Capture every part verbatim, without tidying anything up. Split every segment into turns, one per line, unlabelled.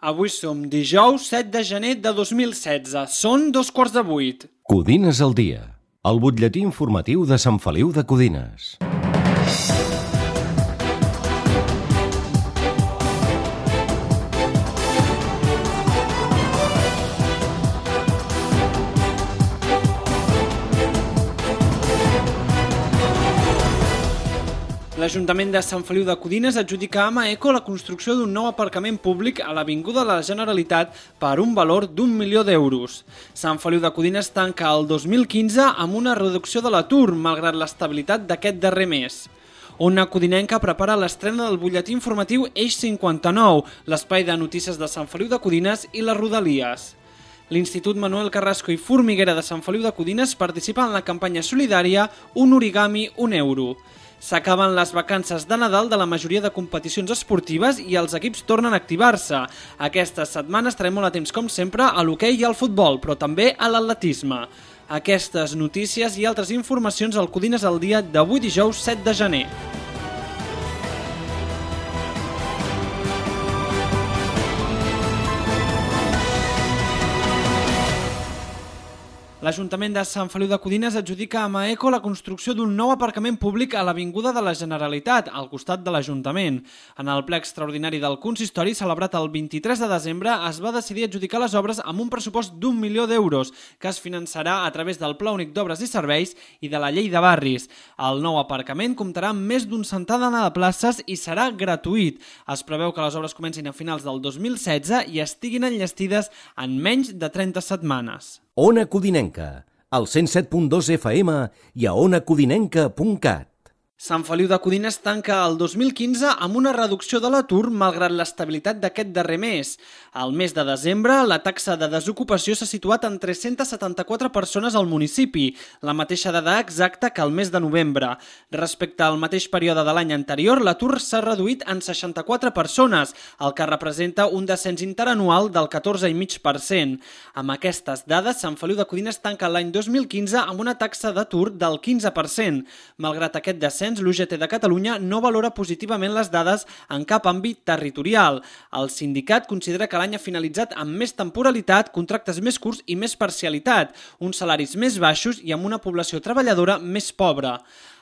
Avui som dijous set de gener de dos mil setze. Són dos quarts de vuit.
Codines al dia. El butlletí informatiu de Sant Feliu de Codines.
L'Ajuntament de Sant Feliu de Codines adjudica a Amaeco la construcció d'un nou aparcament públic a l'Avinguda de la Generalitat per un valor d'un milió d'euros. Sant Feliu de Codines tanca el dos mil quinze amb una reducció de l'atur, malgrat l'estabilitat d'aquest darrer mes. Ona Codinenca prepara l'estrena del butlletí informatiu Eix cinquanta-nou, l'espai de notícies de Sant Feliu de Codines i les Rodalies. L'Institut Manuel Carrasco i Formiguera de Sant Feliu de Codines participa en la campanya solidària Un origami, un euro. S'acaben les vacances de Nadal de la majoria de competicions esportives i els equips tornen a activar-se. Aquesta setmana estarem molt atents, com sempre, a l'hoquei i al futbol, però també a l'atletisme. Aquestes notícies i altres informacions al Codines al dia d'avui dijous set de gener. L'Ajuntament de Sant Feliu de Codines adjudica a Amaeco la construcció d'un nou aparcament públic a l'Avinguda de la Generalitat, al costat de l'Ajuntament. En el ple extraordinari del consistori, celebrat el vint-i-tres de desembre, es va decidir adjudicar les obres amb un pressupost d'un milió d'euros, que es finançarà a través del Pla Únic d'Obres i Serveis i de la Llei de Barris. El nou aparcament comptarà amb més d'un centenar de places i serà gratuït. Es preveu que les obres comencin a finals del dos mil setze i estiguin enllestides en menys de trenta setmanes.
Ona Codinenca, al cent set punt dos F M i a ona codinenca punt cat.
Sant Feliu de Codines tanca el dos mil quinze amb una reducció de l'atur malgrat l'estabilitat d'aquest darrer mes. Al mes de desembre, la taxa de desocupació s'ha situat en tres-centes setanta-quatre persones al municipi, la mateixa dada exacta que el mes de novembre. Respecte al mateix període de l'any anterior, l'atur s'ha reduït en seixanta-quatre persones, el que representa un descens interanual del catorze coma cinc per cent. Amb aquestes dades, Sant Feliu de Codines tanca l'any dos mil quinze amb una taxa d'atur del quinze per cent. Malgrat aquest descens, l'U G T de Catalunya no valora positivament les dades en cap àmbit territorial. El sindicat considera que l'any ha finalitzat amb més temporalitat, contractes més curts i més parcialitat, uns salaris més baixos i amb una població treballadora més pobra.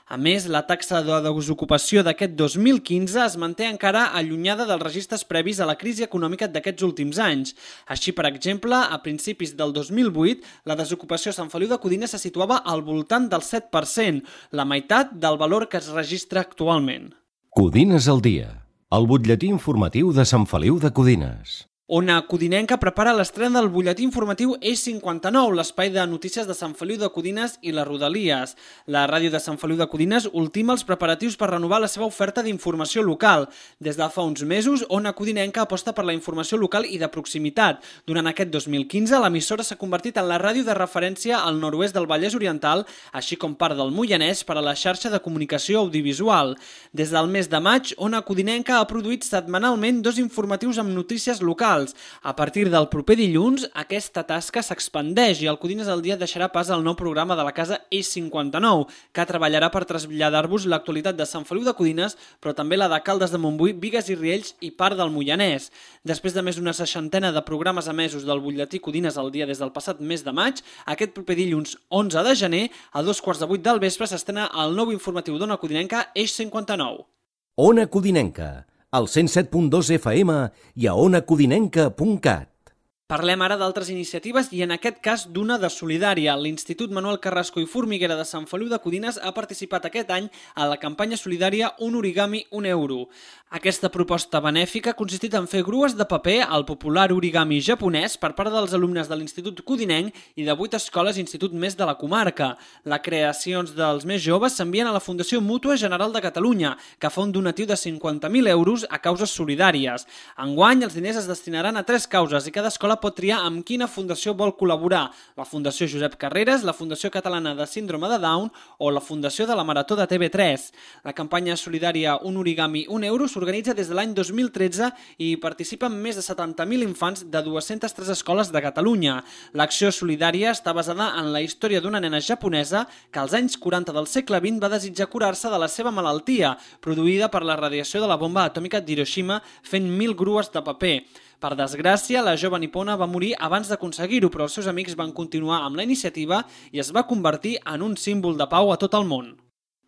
A més, la taxa de desocupació d'aquest dos mil quinze es manté encara allunyada dels registres previs a la crisi econòmica d'aquests últims anys. Així, per exemple, a principis del dos mil vuit, la desocupació a Sant Feliu de Codines se situava al voltant del set per cent, la meitat del valor que es registra actualment.
Codines al dia, el butlletí informatiu de Sant Feliu de Codines.
Ona Codinenca prepara l'estrena del butlletí informatiu Eix cinquanta-nou, l'espai de notícies de Sant Feliu de Codines i les Rodalies. La ràdio de Sant Feliu de Codines ultima els preparatius per renovar la seva oferta d'informació local. Des de fa uns mesos, Ona Codinenca aposta per la informació local i de proximitat. Durant aquest dos mil quinze, l'emissora s'ha convertit en la ràdio de referència al nord-oest del Vallès Oriental, així com part del Moianès per a la xarxa de comunicació audiovisual. Des del mes de maig, Ona Codinenca ha produït setmanalment dos informatius amb notícies locals. A partir del proper dilluns, aquesta tasca s'expandeix i el Codines al dia deixarà pas al nou programa de la casa Eix cinquanta-nou, que treballarà per traslladar-vos l'actualitat de Sant Feliu de Codines, però també la de Caldes de Montbui, Bigues i Riells i part del Moianès. Després de més d'una seixantena de programes emesos del butlletí Codines al dia des del passat mes de maig, aquest proper dilluns onze de gener, a dos quarts de vuit del vespre, s'estrena el nou informatiu d'Ona Codinenca Eix cinquanta-nou.
Ona Codinenca, al cent set punt dos F M i a ona codinenca punt cat.
Parlem ara d'altres iniciatives i en aquest cas d'una de solidària. L'Institut Manuel Carrasco i Formiguera de Sant Feliu de Codines ha participat aquest any a la campanya solidària Un origami, un euro. Aquesta proposta benèfica ha consistit en fer grues de paper al popular origami japonès per part dels alumnes de l'Institut Codinenc i de vuit escoles i institut més de la comarca. Les creacions dels més joves s'envien a la Fundació Mútua General de Catalunya, que fa un donatiu de cinquanta mil euros a causes solidàries. Enguany, els diners es destinaran a tres causes i cada escola pot triar amb quina fundació vol col·laborar: la Fundació Josep Carreras, la Fundació Catalana de Síndrome de Down o la Fundació de la Marató de T V tres. La campanya solidària Un origami, un euro s'organitza des de l'any dos mil tretze i hi participen més de setanta mil infants de dues-centes tres escoles de Catalunya. L'acció solidària està basada en la història d'una nena japonesa que als anys quaranta del segle vint va desitjar curar-se de la seva malaltia, produïda per la radiació de la bomba atòmica d'Hiroshima, fent mil grues de paper. Per desgràcia, la jove nipona va morir abans d'aconseguir-ho, però els seus amics van continuar amb la iniciativa i es va convertir en un símbol de pau a tot el món.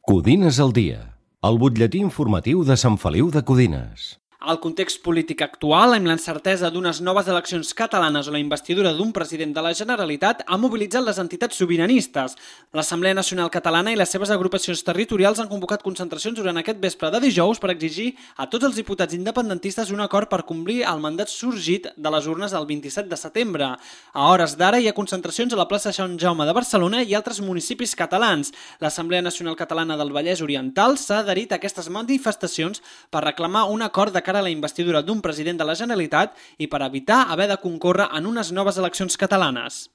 Codines al dia, el butlletí informatiu de Sant Feliu de Codines.
El context polític actual, amb l'incertesa d'unes noves eleccions catalanes o la investidura d'un president de la Generalitat, ha mobilitzat les entitats sobiranistes. L'Assemblea Nacional Catalana i les seves agrupacions territorials han convocat concentracions durant aquest vespre de dijous per exigir a tots els diputats independentistes un acord per complir el mandat sorgit de les urnes el vint-i-set de setembre. A hores d'ara hi ha concentracions a la plaça Sant Jaume de Barcelona i altres municipis catalans. L'Assemblea Nacional Catalana del Vallès Oriental s'ha adherit a aquestes manifestacions per reclamar un acord de cara a la investidura d'un president de la Generalitat i per evitar haver de concórrer en unes noves eleccions catalanes.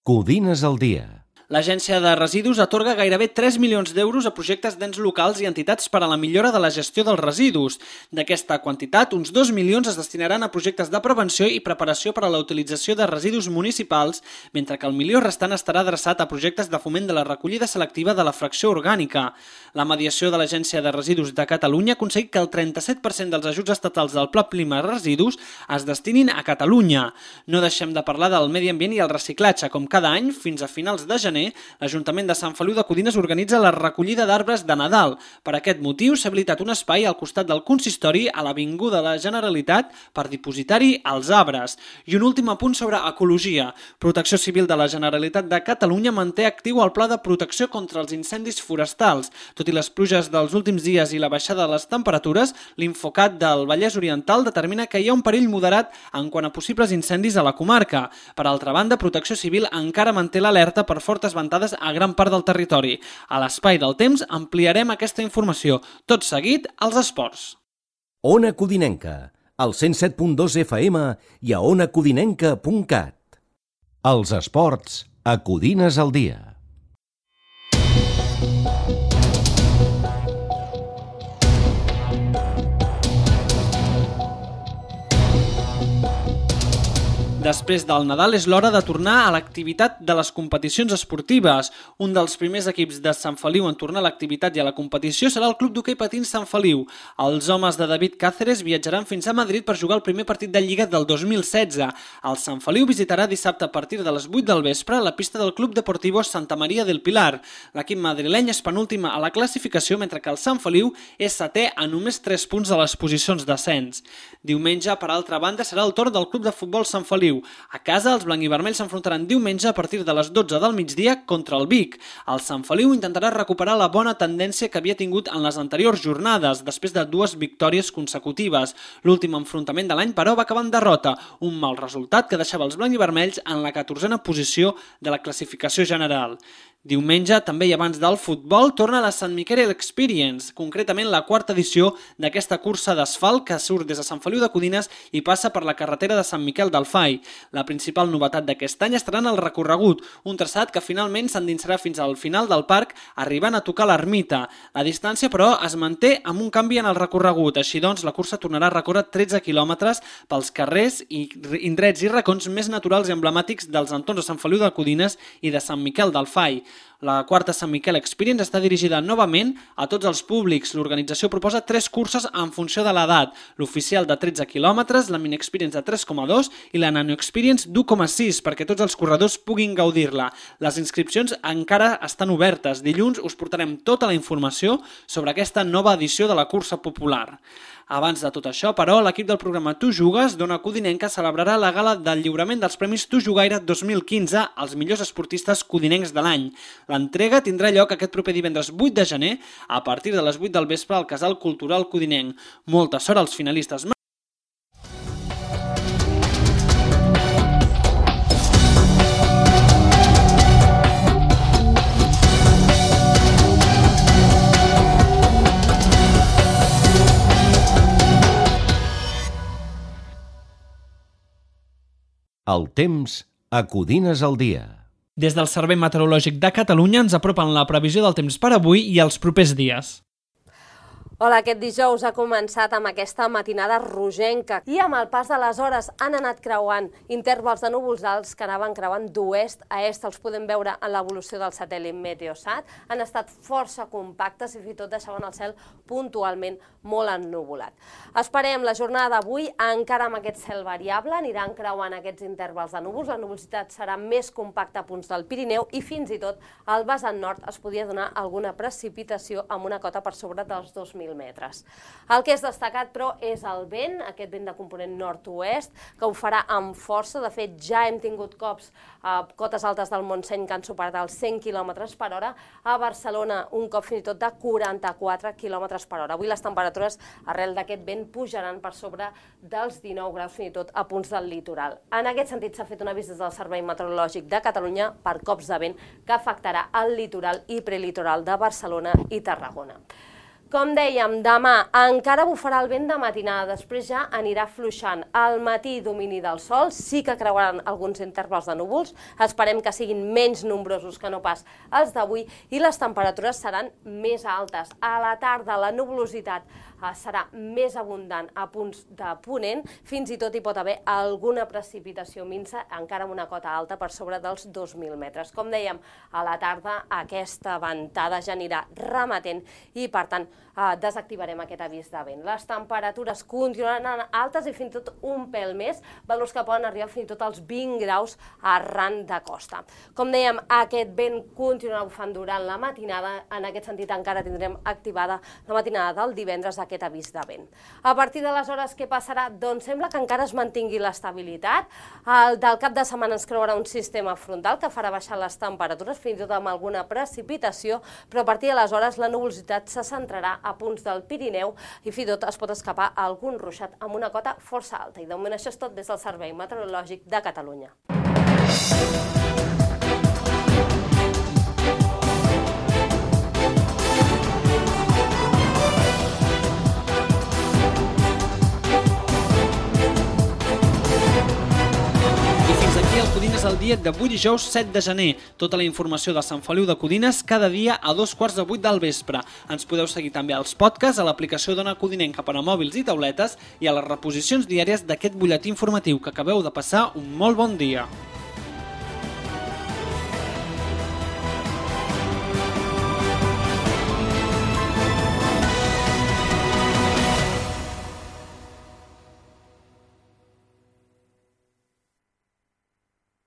Codines al dia.
L'Agència de Residus atorga gairebé tres milions d'euros a projectes d'ens locals i entitats per a la millora de la gestió dels residus. D'aquesta quantitat, uns dos milions es destinaran a projectes de prevenció i preparació per a la utilització de residus municipals, mentre que el milió restant estarà adreçat a projectes de foment de la recollida selectiva de la fracció orgànica. La mediació de l'Agència de Residus de Catalunya ha aconseguit que el trenta-set per cent dels ajuts estatals del Pla Prima Residus es destinin a Catalunya. No deixem de parlar del medi ambient i el reciclatge, com cada any, fins a finals de gener, l'Ajuntament de Sant Feliu de Codines organitza la recollida d'arbres de Nadal. Per aquest motiu s'ha habilitat un espai al costat del consistori a l'Avinguda de la Generalitat per dipositar-hi els arbres. I un últim apunt sobre ecologia. Protecció Civil de la Generalitat de Catalunya manté actiu el pla de protecció contra els incendis forestals. Tot i les pluges dels últims dies i la baixada de les temperatures, l'Infocat del Vallès Oriental determina que hi ha un perill moderat en quant a possibles incendis a la comarca. Per altra banda, Protecció Civil encara manté l'alerta per fortes ventades a gran part del territori. A l'espai del temps ampliarem aquesta informació. Tot seguit, als esports.
Ona Codinenca, al cent set punt dos F M i a ona codinenca punt cat. Els esports a Codines al dia.
Després del Nadal és l'hora de tornar a l'activitat de les competicions esportives. Un dels primers equips de Sant Feliu en tornar a l'activitat i a la competició serà el Club d'Hoquei Patins Sant Feliu. Els homes de David Cáceres viatjaran fins a Madrid per jugar el primer partit de Lliga del dos mil setze. El Sant Feliu visitarà dissabte a partir de les vuit del vespre la pista del Club Deportivo Santa Maria del Pilar. L'equip madrileny és penúltima a la classificació, mentre que el Sant Feliu és setè a només tres punts de les posicions d'ascens. Diumenge, per altra banda, serà el torn del Club de Futbol Sant Feliu. A casa, els blanc-i-vermells s'enfrontaran diumenge a partir de les dotze del migdia contra el Vic. El Sant Feliu intentarà recuperar la bona tendència que havia tingut en les anteriors jornades, després de dues victòries consecutives. L'últim enfrontament de l'any, però, va acabar en derrota, un mal resultat que deixava els blanc-i-vermells en la catorzena posició de la classificació general. Diumenge, també i abans del futbol, torna la Sant Miquel Experience, concretament la quarta edició d'aquesta cursa d'asfalt que surt des de Sant Feliu de Codines i passa per la carretera de Sant Miquel del Fai. La principal novetat d'aquest any estarà en el recorregut, un traçat que finalment s'endinsarà fins al final del parc, arribant a tocar l'ermita. La distància, però, es manté amb un canvi en el recorregut, així doncs la cursa tornarà a recórrer tretze quilòmetres pels carrers i indrets i racons més naturals i emblemàtics dels entorns de Sant Feliu de Codines i de Sant Miquel del Fai. La quarta Sant Miquel Experience està dirigida novament a tots els públics. L'organització proposa tres curses en funció de l'edat, l'oficial de tretze quilòmetres, la Mini Experience de tres coma dos i la Nano Experience d'u coma sis, perquè tots els corredors puguin gaudir-la. Les inscripcions encara estan obertes. Dilluns us portarem tota la informació sobre aquesta nova edició de la cursa popular. Abans de tot això, però, l'equip del programa Tu Jugues d'Ona Codinenca celebrarà la gala del lliurament dels Premis Tu Jugaire dos mil quinze als millors esportistes codinencs de l'any. L'entrega tindrà lloc aquest proper divendres vuit de gener a partir de les vuit del vespre al Casal Cultural Codinenc. Molta sort als finalistes.
El temps a Codines al dia.
Des del Servei Meteorològic de Catalunya ens apropen la previsió del temps per avui i els propers dies.
Hola, aquest dijous ha començat amb aquesta matinada rogenca i amb el pas de les hores han anat creuant intervals de núvols alts que anaven creuant d'oest a est. Els podem veure en l'evolució del satèl·lit Meteosat. Han estat força compactes i fins i tot deixaven el cel puntualment molt ennuvolat. Esperem la jornada d'avui encara amb aquest cel variable, aniran creuant aquests intervals de núvols. La nuvolositat serà més compacta a punts del Pirineu i fins i tot al vessant nord es podria donar alguna precipitació amb una cota per sobre dels dos mil metres. El que és destacat, però, és el vent, aquest vent de component nord-oest, que ho farà amb força. De fet, ja hem tingut cops a cotes altes del Montseny que han superat els cent quilòmetres per hora. A Barcelona, un cop fins i tot de quaranta-quatre quilòmetres per hora. Avui les temperatures, arrel d'aquest vent, pujaran per sobre dels dinou graus, fins i tot a punts del litoral. En aquest sentit, s'ha fet un avís des del Servei Meteorològic de Catalunya per cops de vent que afectarà el litoral i prelitoral de Barcelona i Tarragona. Com dèiem, demà encara bufarà el vent de matinada, després ja anirà fluixant. Al matí, domini del sol, sí que creuaran alguns intervals de núvols, esperem que siguin menys nombrosos que no pas els d'avui i les temperatures seran més altes. A la tarda la nuvolositat serà més abundant a punts de ponent, fins i tot hi pot haver alguna precipitació minsa, encara amb una cota alta per sobre dels dos mil metres. Com dèiem, a la tarda aquesta ventada ja anirà remetent i, per tant, desactivarem aquest avís de vent. Les temperatures continuaran altes i fins i tot un pèl més, valors que poden arribar fins i tot als vint graus arran de costa. Com dèiem, aquest vent continuarà bufant durant la matinada, en aquest sentit encara tindrem activada la matinada del divendres aquest avís de vent. A partir de les hores, què passarà? Doncs sembla que encara es mantingui l'estabilitat. Del cap de setmana ens creuarà un sistema frontal que farà baixar les temperatures, fins i tot amb alguna precipitació, però a partir de les hores la nuvolositat se centrarà a punts del Pirineu i fins i tot es pot escapar algun ruixat amb una cota força alta. I de moment això és tot des del Servei Meteorològic de Catalunya.
Codines al dia d'avui dijous set de gener. Tota la informació de Sant Feliu de Codines cada dia a dos quarts de vuit del vespre. Ens podeu seguir també als podcasts, a l'aplicació d'Ona Codinenca per a mòbils i tauletes i a les reposicions diàries d'aquest butlletí informatiu. Que acabeu de passar un molt bon dia.